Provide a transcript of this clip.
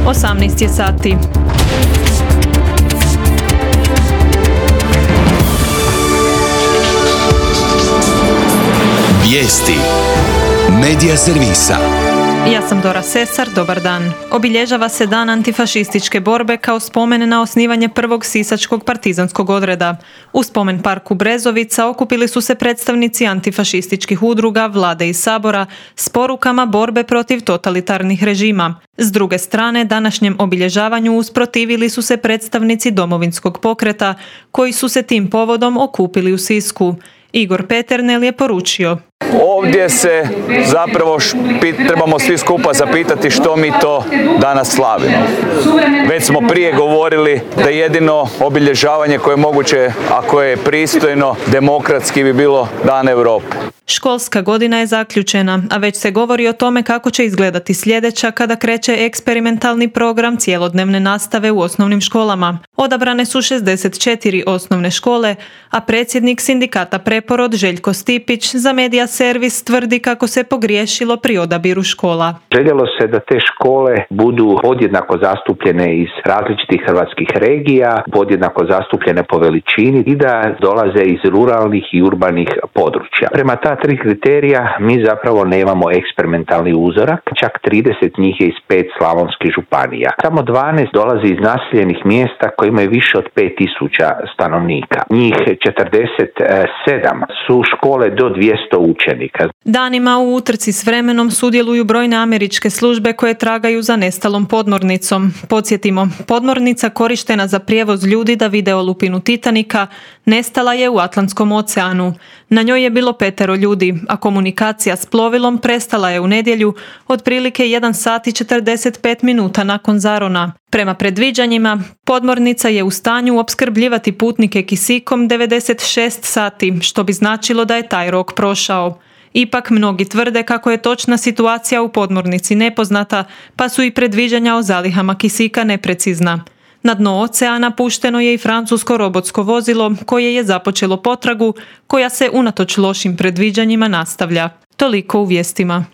18 je sati. Vijesti Medija servisa. Ja sam Dora Sesar, dobar dan. Obilježava se dan antifašističke borbe kao spomen na osnivanje prvog sisačkog partizanskog odreda. U spomen parku Brezovica okupili su se predstavnici antifašističkih udruga, vlade i sabora s porukama borbe protiv totalitarnih režima. S druge strane, današnjem obilježavanju usprotivili su se predstavnici Domovinskog pokreta, koji su se tim povodom okupili u Sisku. Igor Peternel je poručio: ovdje se zapravo trebamo svi skupa zapitati što mi to danas slavimo. Već smo prije govorili da jedino obilježavanje koje je moguće, a koje je pristojno, demokratski, bi bilo Dan Europe. Školska godina je zaključena, a već se govori o tome kako će izgledati sljedeća kada kreće eksperimentalni program cjelodnevne nastave u osnovnim školama. Odabrane su 64 osnovne škole, a predsjednik sindikata Preporod Željko Stipić za Medija servis tvrdi kako se pogriješilo pri odabiru škola. Željelo se da te škole budu podjednako zastupljene iz različitih hrvatskih regija, podjednako zastupljene po veličini i da dolaze iz ruralnih i urbanih područja. Prema ta 3 kriterija mi zapravo nemamo eksperimentalni uzorak, čak 30 njih je iz 5 slavonskih županija. Samo 12 dolazi iz naseljenih mjesta koji imaju više od 5000 stanovnika. Njih 47 su škole do 200 učenika. Danima u utrci s vremenom sudjeluju brojne američke službe koje tragaju za nestalom podmornicom. Podsjetimo, podmornica korištena za prijevoz ljudi da vide olupinu Titanika nestala je u Atlantskom oceanu. Na njoj je bilo 5 ljudi, a komunikacija s plovilom prestala je u nedjelju otprilike 1 sat i 45 minuta nakon zarona. Prema predviđanjima, podmornica je u stanju opskrbljivati putnike kisikom 96 sati, što bi značilo da je taj rok prošao. Ipak mnogi tvrde kako je točna situacija u podmornici nepoznata, pa su i predviđanja o zalihama kisika neprecizna. Na dno oceana pušteno je i francusko robotsko vozilo koje je započelo potragu koja se unatoč lošim predviđanjima nastavlja. Toliko u vijestima.